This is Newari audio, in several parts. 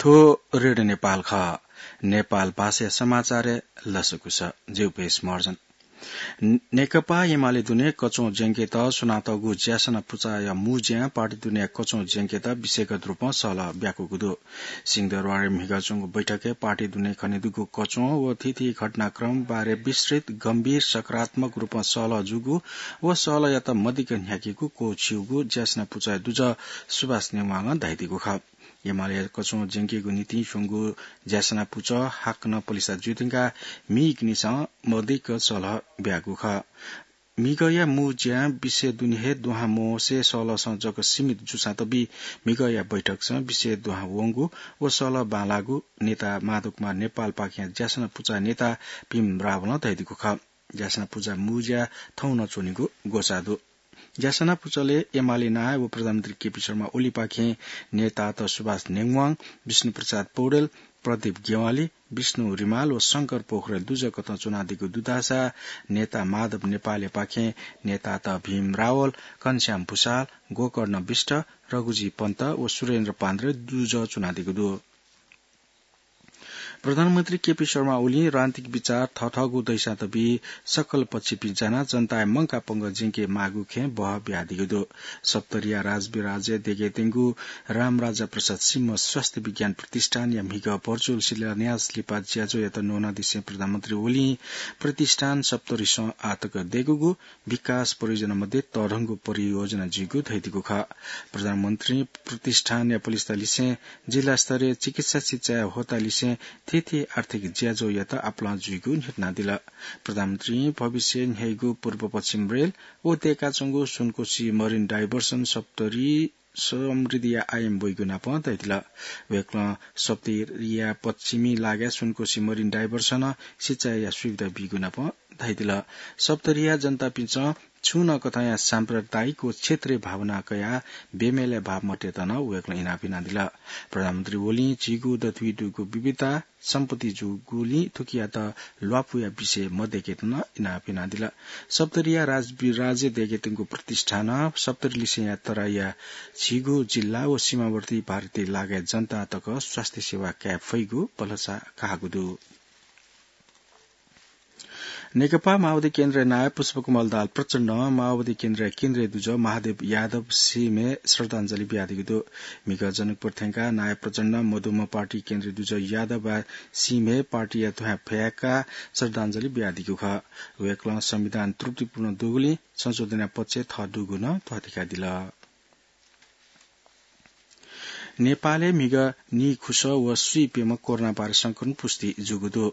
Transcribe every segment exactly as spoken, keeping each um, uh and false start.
थ्व रेडियो नेपाल खः। नेपाल भाषाया समाचारय् लसकुस। जि उपेश महर्जन। नेकपा एमाले दुने कच्वं ज्यंकेत स्वनातःगु ज्यासना पुचःया मू ज्यां पार्टी दुने कच्वं ज्यंकेत विषयगत रूपं सहलह ब्याकूगु दु। सिंहदरबारय् म्हिगः च्वंगु बैठकय् पार्टी दुने खनेदुगु कच्वं व थीथी घटनाक्रम बारे विस्तृत, गम्भीर, सकारात्मक रूपं सहलह जूगु व सहलहयात मदिक्क न्ह्याकेगु क्वःछिउगु ज्यासना पुचःया दुजः सुभाष नेवालं धयादीगु खः। एमाले कच्वं ज्यंकेगु निंतिं स्वंगु ज्यासना पुचः हाकनं पलिसा जुइधुंकाः म्हिगःनिसें मदिक्क सहलह ब्याःगु खः। म्हिगःया मू ज्यां विषय दुने हे दुहां मवंसे सहलहसं जक सीमित जूसां तबि म्हिगःया बैठकसं विषय दुहां वंगु व सहलह बांलाःगु नेता माधव कुमार नेपालपाखें ज्यासना पुचःया नेता भीम रावलं धयादीगु खः। ज्यासना पुचःया मू ज्या थौं नं च्वनेगु ग्वसाः दु। ज्यासना पुचलय् एमाले नायः व प्रधानमन्त्री केपी शर्मा ओलीपाखें नेतात सुभाष नेवाङ, विष्णुप्रसाद पौडेल, प्रदीप ज्ञवाली, विष्णु रिमाल व शंकर पोखरेल दुजः कथं च्वनादीगु दु धाःसा नेता माधव नेपालयापाखें नेतात भीम रावल, घनश्याम भुसाल, गोकर्ण विष्ट, रघुजी पन्त व सुरेन्द्र पान्द्रे दुजः च्वनादीगु दु। प्रधानमन्त्री केपी शर्मा ओलीं राजनीतिक विचार थःथःगु दइसां तबि सकल पक्षपिं जानाः जनताया मंकाः पंगः ज्यंके माःगु खँय् बहः बियादीगु दु। सप्तरीया राजविराजय् देगेतेंगु रामराजा प्रसाद सिंह स्वास्थ्य विज्ञान प्रतिष्ठानया म्हिगः भर्चुअल शिलान्यास लिपा ज्याझ्वःयात न्वनादिसें प्रधानमन्त्री ओलीं प्रतिष्ठान सप्तरीसं आःतक देगूगु विकास परियोजना मध्ये तःधंगु परियोजना जुइगु धयादीगु खः। प्रधानमन्त्रीं प्रतिष्ठानया पलिस्था लिसें जिल्ला स्तरीय चिकित्सा शिक्षाया होता लिसें थीथी आर्थिक ज्याझ्वःयात आपालं जुइगु न्ह्यथनादिल। प्रधानमन्त्रीं भविष्यय् न्ह्याइगु पूर्व पश्चिम रेल व दय्काच्वंगु सुनकोशी मरिन डाइभर्सन सप्तरी समृद्धिया आयाम वइगु नापं धयादिल। वय्कलं सप्तरीया पश्चिमी लागाय् सुनकोशी मरिन डाइभर्सनं सिँचाइया सुविधा बीगु नापं धयादिल। सप्तरीया जनतापिन्सं छुं नं कथंया साम्प्रदायिक व क्षेत्रीय भावना कयाः बेमेलय् भाव मतेत नं वय्कलं इनाप यानादिल। प्रधानमन्त्री ओलीं झीगु दथुइ दुगु विविधता सम्पत्ति जूगुलिं थुकियात ल्वापुया विषय मदय्केत नं इनाप यानादिल। सप्तरीया राजविराजय् दय्केत्यंगु प्रतिष्ठानं सप्तरीलिसेंया तराईया झीगु जिल्ला व सीमावर्ती भारतीय लागाय् जनता तक स्वास्थ्य सेवा काये फइगु भलसा काःगु दु। नेकपा माओवादी केन्द्रया नायः पुष्पकमल दाहाल प्रचण्डं माओवादी केन्द्रया केन्द्रीय दुजः महादेव यादव सिंहय् श्रद्धाञ्जली बियादीगु दु। म्हिगः जनकपुर थ्यंकाः नायः प्रचण्डं मदुम्ह पार्टी केन्द्रीय दुजः यादव सिंहय् पार्टीया दुहां फ्याकाः श्रद्धाञ्जली बियादीगु खः। वय्कलं संविधान त्रुटिपूर्ण दुगुलिं संशोधनया पक्षय् थः दुगु नं ध्वाथुइकादिल। नेपालय् म्हिगः नीखुसः व स्वीप्यम्ह कोरोना भाइरस संक्रमण पुष्टि जूगु दु।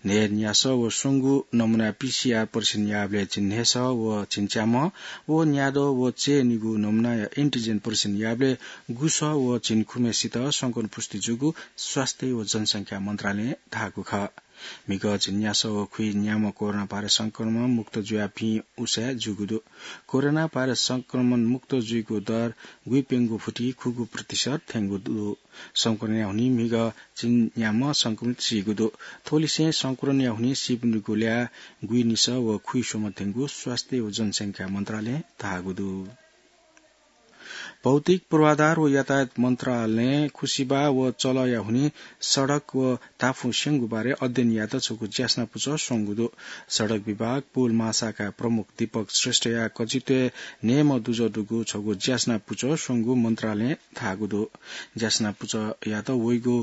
न्हय्न्यासः व स्वंगू नमुनाय् पीसीआर परीक्षण याःबलय् झिंन्हय्सः व झिंच्याम्ह व न्याद्वः व चय्निगू नमुनाया एन्टिजेन परीक्षण याःबलय् गुसः व झिंखुम्हय्सित संक्रमण पुष्टि जूगु स्वास्थ्य व जनसंख्या मन्त्रालयं धाःगु खः। म्हिगः झिंन्यासः व खुइन्याम्ह कोरोना भाइरस संक्रमण मुक्त जुयाः भिं उसाँय् जूगु दु। कोरोना भाइरस संक्रमण मुक्त जुइगु दर गुइप्यंगू फुति खुगू प्रतिशत थ्यंगु दु। संक्रमणया हुनिं म्हिगः झिंन्याम्ह संक्रमित सीगु दु। थ्वलिसें संक्रमणया हुनिं सीपिनिगु ल्याः गुइनिसः व खुइस्वम्ह थ्यंगु स्वास्थ्य व जनसंख्या मन्त्रालयं धाःगु दु। भौतिक पूर्वाधार व यातायात मन्त्रालयं खुसिबाः व चलःया हुनिं सडक व ताफुं स्यंगु बारे अध्ययन यायेत छगू ज्यासना पुचः स्वंगु दु। सडक विभाग पुल महाशाखाया प्रमुख दीपक श्रेष्ठया कजित्वय् न्हय्म्ह दुजः दुगु छगू ज्यासना पुचः स्वंगु मन्त्रालयं धाःगु दु। ज्यासना पुचःयात वइगु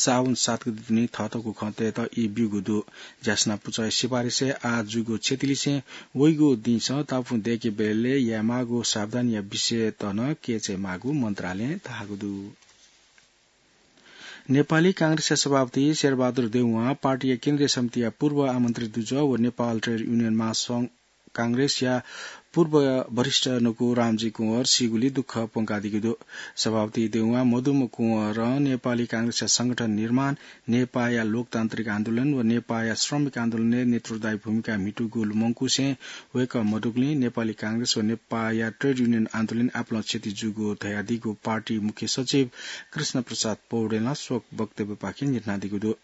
साउन सात गते दुने थःथःगु खँ तयेत ई ब्यूगु दु। ज्यासना पुचःया सिफारिसय् आः जूगु क्षतिलिसें वइगु दिंसं ताफुं दय्केबलय् यायेमाःगु सावधानीया विषयत नं कय्चायेमाःगु मन्त्रालयं धाःगु दु। नेपाली कांग्रेसया सभापति शेरबहादुर देउवां पार्टीया केन्द्रीय समितिया पूर्व आमन्त्रित दुजः व नेपाल ट्रेड युनियन महासंघ कांग्रेसया पूर्व वरिष्ठ नुगु रामजी कुँवर सीगुली दुःख प्वंकादीगु दु। सभापति देउवां मदुम्ह कुँवरं नेपाली कांग्रेसया संगठन निर्माण, नेपाःया लोकतान्त्रिक आन्दोलन व नेपाःया श्रमिक आन्दोलनय् नेतृत्वदायी भूमिका म्हितूगु लुमंकुसें वय्कः मदुगुलिं नेपाली कांग्रेस व नेपाःया ट्रेड युनियन आन्दोलनय् आपालं क्षति जूगु धयादीगु पार्टी मुख्य सचिव कृष्ण प्रसाद पौडेलं शोक वक्तव्यपाखें न्ह्यथनादीगु दु।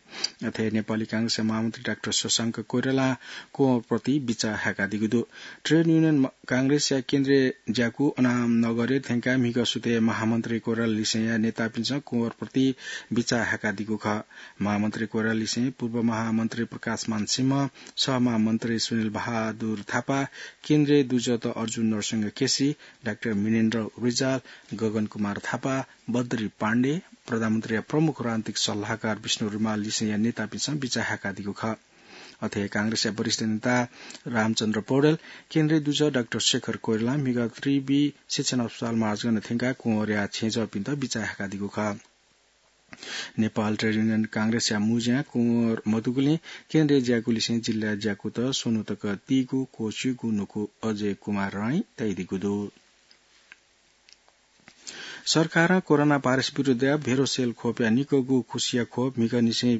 अथे नेपाली कांग्रेसया महामन्त्री डाक्टर शशांक कोइरालां कुँवरप्रति बिचाः हाय्कादीगु दु। ट्रेड युनियन म-, कांग्रेसया केन्द्रीय ज्याकू अनामनगरय् थ्यंकाः म्हिगः सुथय् महामन्त्री कोइराला लिसेंया नेतापिन्सं कुँवरप्रति बिचाः हाय्कादीगु खः। महामन्त्री कोइराला लिसें पूर्व महामन्त्री प्रकाशमान सिंह, सहमहामन्त्री सुनिल बहादुर थापा, केन्द्रीय दुजःत अर्जुन नरसिंह केसी, डाक्टर मिनेन्द्र रिजाल, गगन कुमार थापा, बद्री पाण्डे, प्रधानमन्त्रीया प्रमुख राजनीतिक सल्लाहकार विष्णु रिमाल लिसेंया नेतापिन्सं बिचाः हाय्कादीगु खः। अथे कांग्रेसया वरिष्ठ नेता रामचन्द्र पौडेल, केन्द्रीय दुजः डाक्टर शेखर कोइरालां म्हिगः त्रिवि शिक्षण अस्पताल मार्चगन थ्यंकाः कुँवरया छेँजःपिन्त बिचाः हाय्कादीगु खः। नेपाल ट्रेड युनियन कांग्रेसया मुँज्या कुँवर मदुगुलिं केन्द्रीय ज्याकूलिसें जिल्ला ज्याकूत स्वन्हु तक तीगु क्वःछिउगु नुगः अजय कुमार राईं तयादीगु दु। सरकारं कोरोना भाइरस विरुद्धया भेरोसेल खोपया निकःगु खुसिया खोप म्हिगःनिसें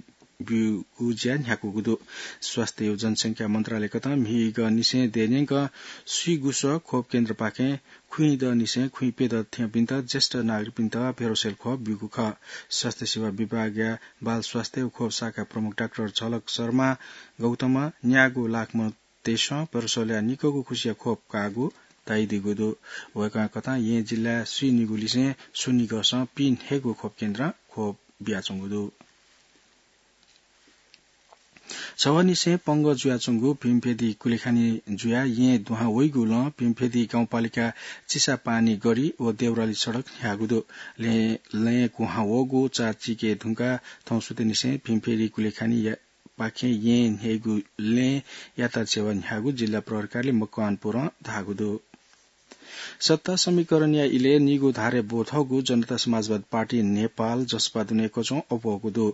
ब्यूगु ज्या न्ह्याकूगु दु। स्वास्थ्य व जनसंख्या मन्त्रालयकथं म्हिगःनिसें देय्‌न्यंकं स्वीगुसः खोप केन्द्रपाखें खुइँदनिसें खुइँप्यदँ थ्यंपिन्त ज्येष्ठ नागरिकपिन्त भेरोसेल खोप ब्यूगु खः। स्वास्थ्य सेवा विभागया बाल स्वास्थ्य व खोप शाखा प्रमुख डाक्टर झलक शर्मा गौतमं न्यागू लाख मनूतय्‌सं भेरोसेलया निकःगु खुसिया खोप काःगु तयादीगु दु। वय्‌कःकथं येँ जिल्लाय् स्वीनिगूलिसें स्वनिगःसं पीन्हय्‌गू खोप केन्द्रं खोप बियाच्वंगु दु। छवःनिसें पंगः जुयाच्वंगु भीमफेदी कुलेखानी जुयाः येँ दुहां वइगुलं भीमफेदी गाउँपालिका चिसापानी गढी व देउराली सडक न्ह्याःगु दु। लँय्, लँय् कुहां वःगु चाःचिके धुंकाः थौं सुथंनिसें भीमफेदी कुलेखानी या-, पाखें येँ न्ह्याइगु लँय् यातायात सेवा न्ह्याःगु जिल्ला प्रहरी कार्यालय मकवानपुरं धाःगु दु। सत्ता समीकरणया इलय् निगू धारय् ब्वथःगु जनता समाजवादी पार्टी नेपाल, जसपा दुने कचं अप्वःगु दु।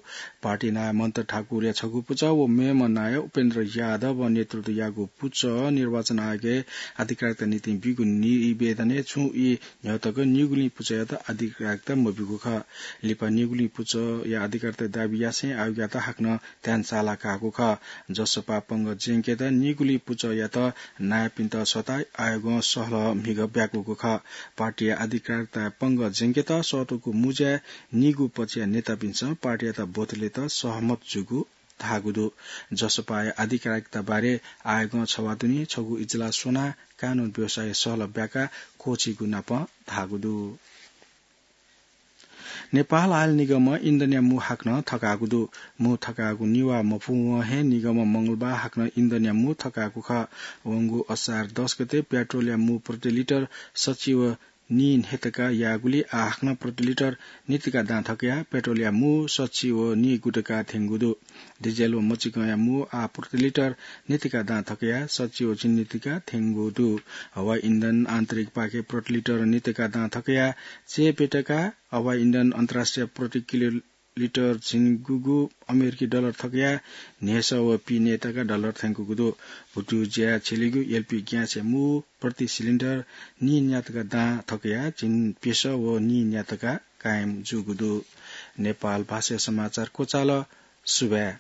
पार्टी नायः मन्त्र ठाकुरया छगू पुचः व मेम्ह नायः उपेन्द्र यादवं नेतृत्व याःगु पुचः निर्वाचन आयोगय् अधिकारिता निंतिं ब्यूगु निवेदनय् छुं ई न्ह्यः तक निगुलिं पुचःयात अधिकारिता मब्यूगु खः। लिपा निगुलिं पुचःया अधिकारिता दाबी यासें आयोगयात हाकनं ध्यान साला काःगु खः। जसपा पंगः ज्यंकेत निगुलिं पुचःयात नायःपिन्त सःताः आयोगं सहलह म्हिगः ब्याकूगु खः। पार्टीया अधिकारिता पंगः ज्यंकेत सःतूगु मुँज्याय् निगू पक्षया नेतापिन्सं पार्टीयात ब्वतलेत सहमत जूगु धाःगु दु। जसपाया अधिकारिता बारे आयोगं छवाः दुने छगू इजलास स्वनाः कानून व्यवसाय सहलह ब्याकाः क्वःछिइगु नापं धाःगु दु। नेपाल आयल निगमं इन्धनया मू हाकनं थकाःगु दु। मू थकाःगु निभाः मफुवं हे निगमं मंगलबार हाकनं इन्धनया मू थकाःगु खः। वंगु असार दस गते पेट्रोलया मू प्रति लिटर सच्छि व नीन्हय् तका याःगुलिं आः हाकनं प्रति लिटर नीतिका दां थकयाः पेट्रोलया मू सच्छि व नीगु तका थ्यंगु दु। डिजेल व मचिकंया मू आः प्रति लिटर नीतिका दां थकयाः सच्छि व झिंनितिका थ्यंगु दु। हवाई इन्धन आन्तरिकपाखे प्रति लिटर नीतिका दां थकयाः चय्‌प्यतका, हवाई इन्धन अन्तर्राष्ट्रिय प्रति किलो लिटर झिंगुगु अमेरिकी डलर थकयाः न्हय्‌सः व पीन्यातका डलर थ्यंकूगु दु। भुतुज्याय् छ्यलीगु एलपी ग्यासया मू प्रति सिलिन्डर नीन्यातका दां थकयाः झिंप्यसः व नीन्यातका कायम जूगु दु। नेपाल भाषाया समाचार क्वचाल। सुभाय्।